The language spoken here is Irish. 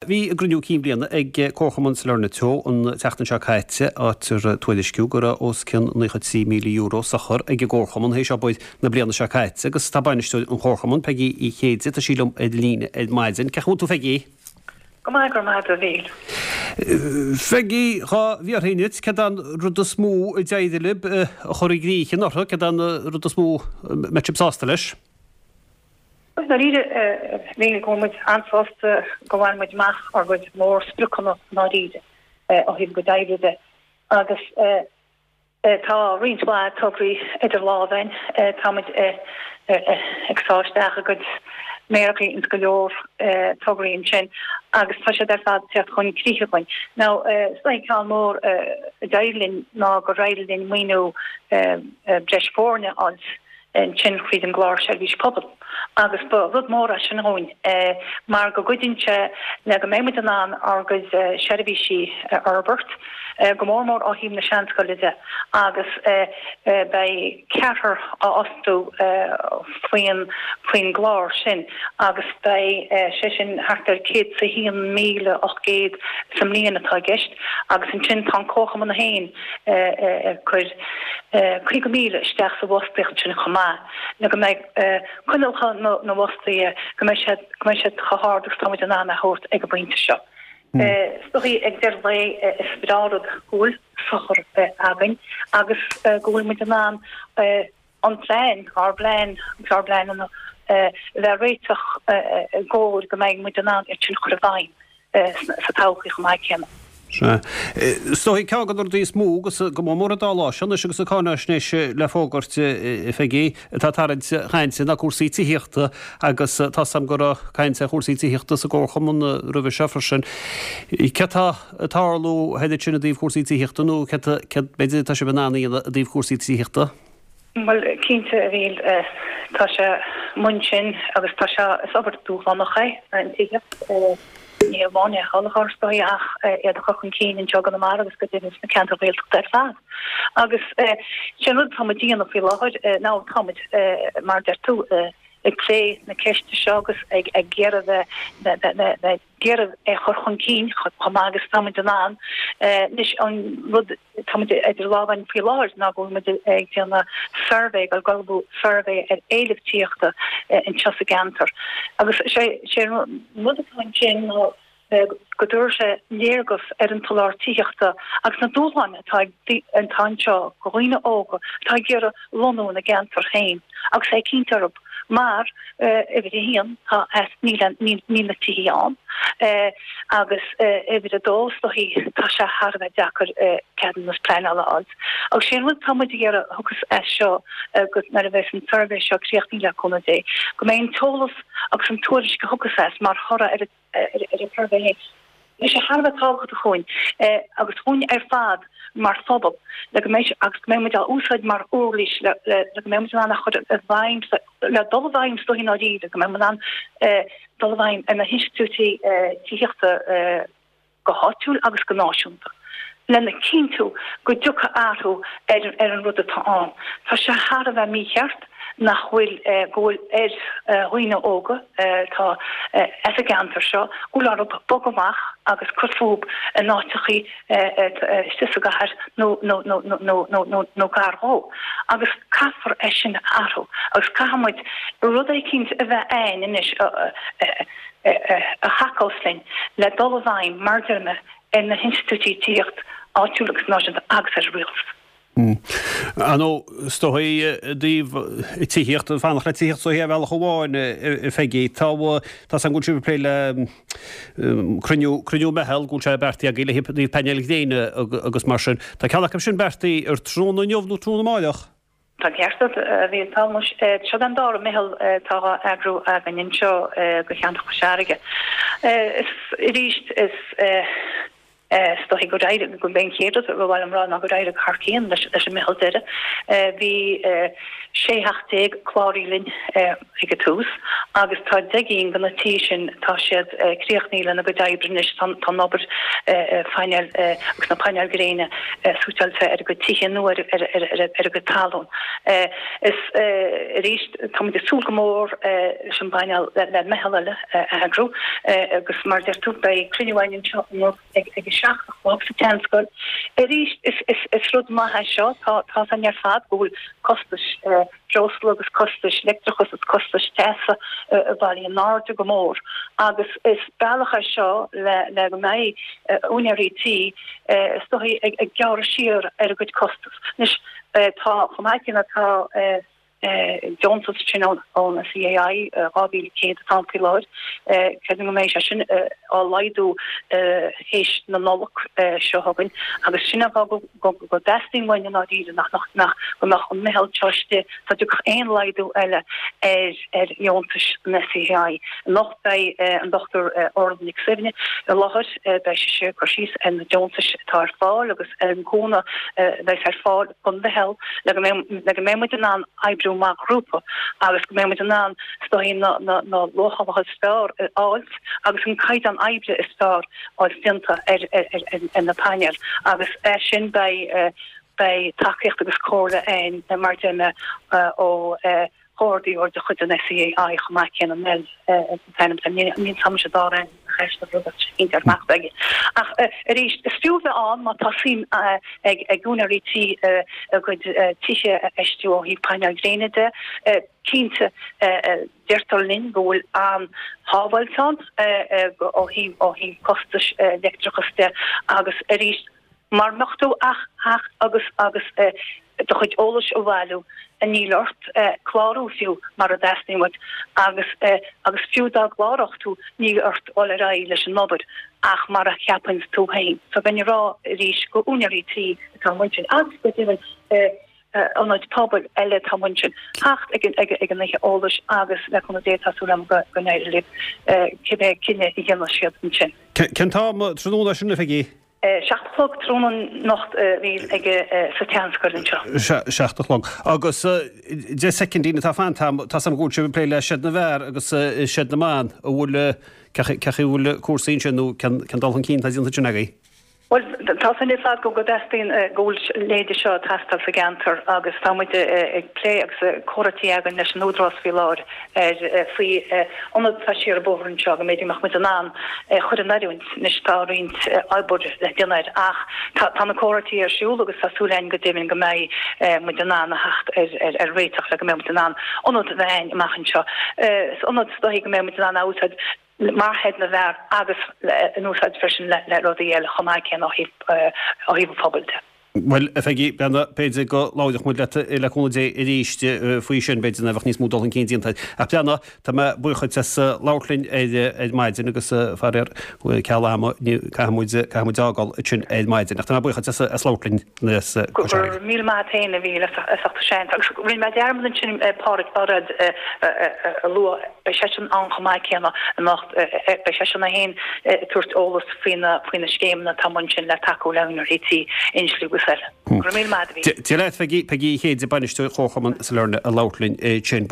Bhí a gcruinniú cinn bliana ag Comharchumann Sailearna Teo an tseachtain seo caite, áit ar tuairisciú go raibh os cionn €93,000 sochar ag an gComharchumann théis obair na bliana seo caite agus tá bainisteoir an Chomharchumainn, Peigí Uí Chéide, tá sí liom ar líne ar maidin. Cén chaoi a bhfuil tú Pheigí? Go maith, go raibh maith agat a Mhíl. Pheigí, dhá bhfiafróinn díot, céard é an rud is mó a d'éirigh libh a chur i gcrích anuraidh, céard é an rud is mó a mbeidh sibh sásta leis? I ndáiríre, bhí go bhfuil muid an-sásta go bhain muid amach ár gcuid mór-spriocanna i ndáiríre ó thaobh a gcuid oibre de agus tá roinnt mhaith tograí idir lámha againn. Tá muid ag sá isteach a gcuid méarachaí ins go leor tograí ansin agus tá siad ar fad ag teacht chun críche againn. Now, is dóigh ceann mór a d'éirigh linn ná gur éirigh linn maoiniú breis foirne a fháilt ansin thríd an gclár Seirbhís Pobail agus ba rud mór é sin dhúinn mar go gcuidíonn sé le go mbeidh muid in ann ár gcuid seirbhísí a fhorbairt, go mór mór ó thaobh na seanscoile de agus beidh ceathrar á fhostú faoin faoin gclár sin agus beidh sé sin thart ar 101,800 sa mbliain atá i gceist agus ansin tá an Comharchumann féin ag cur 50,000 isteach sa bhfostaíocht sin chomh maith, le go mbeidh coinníollacha na bhfostaithe, go mbeidh siad, go mbeidh siad chomh hard agus atá muid in ann a thabhairt ag an bpointe seo. Is dóigh ag deireadh an lae is breá an rud go bhfuil sochar againn agus go bhfuil muid in ann an plean, ár bplean agus ár bpleananna a bheith réiteach i gcomhair go mbeidh muid in ann iad sin a chur i bhfeidhm sa todhchaí chomh maith céanna. Sea. Is dóigh ceann de na rudaí is mó agus go mór mór an dá lá seo anois agus an cáináisnéis le fógairt, a Pheigí, atá ag tarraingt cainte ná cúrsaí tithíochta agus tá 's a'm go raibh caint ar chúrsaí tithíochta sa gComharchumann roimhe seo freisin. Céard tá ag tarlú thoir ansin i dtaobh cúrsaí tithíochta nó céard, céard b'fhéidir atá sibh in ann a dhéanamh i dtaobh cúrsaí tithíochta? Bhuel, cinnte, a Mhíl, tá sé amuigh ansin agus tá sé, is obair dúshlánach é an tithíocht, ní hamháin é a sholáthar is dóigh ach iad a chur chun cinn anseo i gConamara agus go deimhin sna ceantair Ghaeltachta ar fad. Agus sé an rud atá muid a dhéanamh faoi láthair ná tá muid, mar a deir tú, ag plé na ceiste seo agus ag iarraidh bheith iarraidh é a chur chun cinn chomh maith agus atá muid in ann. Anois an rud atá muid idir lámha againn faoi láthair ná go bhfuil muid ag déanamh suirbhé, ag ullmhú suirbhé ar éileamh tithíochta anseo sa gceantar. Agus sé an rud atá ansin ná go dtabharfaidh sé léargas ar an tsoláthar tithíochta agus na dúshláin atá ag atá anseo do dhaoine óga atá ag iarraidh lonnú ina gceantar féin agus é cinnte orthu mar, uimhir a haon, tá eas, níl, níl na tithí ann agus uimhir a dó, is dóichí, tá sé thar a bheith deacair ceadúnas pleanála a fháil. Agus sé an rud atá muid ag iarraidh a thiocfas as seo agus nuair a bheas an suirbhé seo críochnaithe le cúnamh Dé, go mbeidh an t-eolas agus an tuairisc a thiocfas as mar thoradh ar an ar an tsuirbhé féin. Beidh sé thar a bheith tábhachtach dhúinn agus dhúinn ar fad mar phobal le go mbeidh agus go mbeidh muid á úsáid mar uirlis le le go mbeidh muid in ann a chur i bhfeidhm le dul i bhfeidhm is dóichí i ndáiríre go mbeidh muid in ann dul i bhfeidhm ar na hinstitiúidí tithíochta go háitiúil agus go náisiúnta, lena chinntiú go dtiocfaidh athrú ar ar an rud atá ann. Tá sé thar a bheith mícheart nach bhfuil, go bhfuil ar dhaoine óga atá as an gceantar seo, go bhfuil orthu bogadh amach agus cur fúthu in áiteachaí istigh sa gcathair nó nó nó nó nó nó nó gar dhó. Agus caithfear é sin a athrú agus caithfidh muid rud eicínt a bheith a'ainn anois a thacós linn le dul i bhfeidhm, mar a deir mé, ar na hinstitiúidí tithíochta áitiúil agus náisiúnta agus ar an rialtas. Ar ndóigh, is dóigh i dtaobh tithíocht, fanacht le tithíocht is dóigh ar bhealach amháin, a Pheigí. Tá, tá's agam go bhfuil sibh ag plé le cruinniú, cruinniú meitheal, go bhfuil sé beartaithe agaibh le taobh painéil ghréine agus mar sin. Tá ceann acu sin beartaithe ar tráthnóna inniu nó tráthnóna amáireach? Tá an ceart agat, a Mhíl. Tá muis. Seo an dara meitheal atá á eagrú againn anseo do cheantar Chois Fharraige. Is, arís, is. Is dóichí gur éirigh, gurb é an chéad rud a ba mhaith liom rá ná gur éirigh thar cionn leis an meitheal deiridh. Bhí 16 theach cláraithe linn ag an tús agus tá 10 gcinn de na tithe sin, tá siad críochnaithe lena gcuid oibre anois, tá an obair phainéil agus na painéil gréine suiteáilte ar a gcuid tithe nó ar a gcuid talún. Is arís táimid ag súil go mór leis an bpainéal, le meitheal eile a eagrú agus mar a deir tú beidh cruinniú againn anseo anocht ag a 7 a chlog sa tSeanscoil. Arís is rud maith é seo, tá a fhios againn ar fad go bhfuil costais breosla agus costais leictreachais agus costais teasa ag dul in airde go mór agus is bealach é seo le le go mbeidh úinéirí tí is dóichí ag gearradh siar ar a gcuid costas. Anois tá chomh maith céanna tá deontas sin ón SEAI 2,100 atá ann faoi láthair. Creidim go mbeidh sé sin á laghdú théis na Nollag seo chugainn agus sin an fáth go dteastaíonn uainn i ndáiríre nach nach go mbeadh an meitheal seo istigh dá dtiocfadh aon laghdú eile ar ar dheontais an SEAI. Anocht beidh an Dr Orla Nic Suibhne i láthair, beidh sise ag cur síos ar na deontais atá ar fáil agus ar an gcúnamh a bheas ar fáil don mheitheal le go mbeidh le go mbeidh muid in ann oibriú mar ghrúpa agus go mbeidh muid in ann is dóichí na na na luachálacha is fearr a fháilt agus an caighdeán oibre is fearr a fháilt déanta ar ar ar ar na painéil agus é sin beidh beidh tacaíocht agus comhairle againn mar a deir mé ó chomhordaitheoir de chuid an SEAI chomh maith céanna, Mel an t-ainm atá air, níl 's a'msa dá raibh cheist ar rud éicint ar amach aige. Ach arís, is fiú bheith ann má tá suim ag úinéirí tí a gcuid tithe a fheistiú ó thaobh painéil gréine de. Cinnte, deirtear linn go bhfuil an-shábháilt ann ó thaobh costais leictreachais de agus arís, Mara mbeadh tú ach theacht agus agus do chuid eolais a bhailiú, níl ort clárú fiú mara dteastaíonn uait agus agus fiú dá gcláródh tú níl ort dul ar aghaidh leis an obair ach mar a cheapann tú féin. So bheinn ag rá arís go úinéirí tí atá amuigh ansin agus go deimhin ionaid pobail eile atá amuigh ansin theacht ag an oíche eolais agus le cúnamh Dé tá súil agam go n-éireoidh leo cibé cinneadh a dhéanfaidh siad ansin. Cén t-am tráthnóna sin, a Pheigí? 7 a chlog tráthnóna anocht a Mhíchíl ag sa tSeanscoil anseo. 7 a chlog. Agus 10 soicindín atá fanta agam, tá 's agam go bhfuil sibh ag plé le Seid na bhFear agus Seid na mBan, an bhfuil, cén chaoi a bhfuil cúrsaí ansin nó cén dul chun cinn atá déanta ansin agaibh? Bhuel, tá 's againn ar fad go dteastaíonn, go bhfuil a leithéid seo ag teastáil sa gceantar agus tá muid ag plé agus comhráití againn leis an Údarás faoi láthair ar faoi ionad atá siar an bóthar anseo go mb'fhéidir go mbeadh muid in ann é a chur in oiriúint. Anois tá roinnt obair le déanamh air ach tá na comhráití ar siúl agus tá súil againn go deimhin go mbeidh muid in ann a theacht ar réiteach le go mbeidh muid in ann ionad a bheith againn amach anseo. Is ionad is dóichí go mbeidh muid in ann a úsáid mar sheid na bhfear agus in úsáid freisin le rudaí eile chomh maith céanna ó thaobh an phobail de. Bhuel, a Pheigí, b'fhéidir go labhróidh muid leat le cúnamh Dé arís faoi sin, b'fhéidir nuair a bheadh níos mó dul chun cinn déanta. Ach Breandán, tá mé buíoch duit as labhairt linn ar maidin agus faraor, ceal ama, caithfidh muid, caithfidh muid fhágáil ansin ar maidin. Ach tá mé buíoch duit as labhairt linn as Go raibh míle maith a't féin a Mhíchíl as ucht an seans. Agus rinne mé dearmad ansin Pádhraic Bairéad a lua. Beidh seisean ann chomh maith céanna anocht. Beidh seisean é féin ag tabhairt eolas faoi na faoi na scéimeanna atá amuigh ansin le tacú le húinéirí tí, insliú agus eile. Go raibh míle maith a't a Mhíchíl. Dia leat, Peggy, Peigí Uí Chéide, Bainisteoir Chomharchumann Sailearna ag labhairt linn ansin.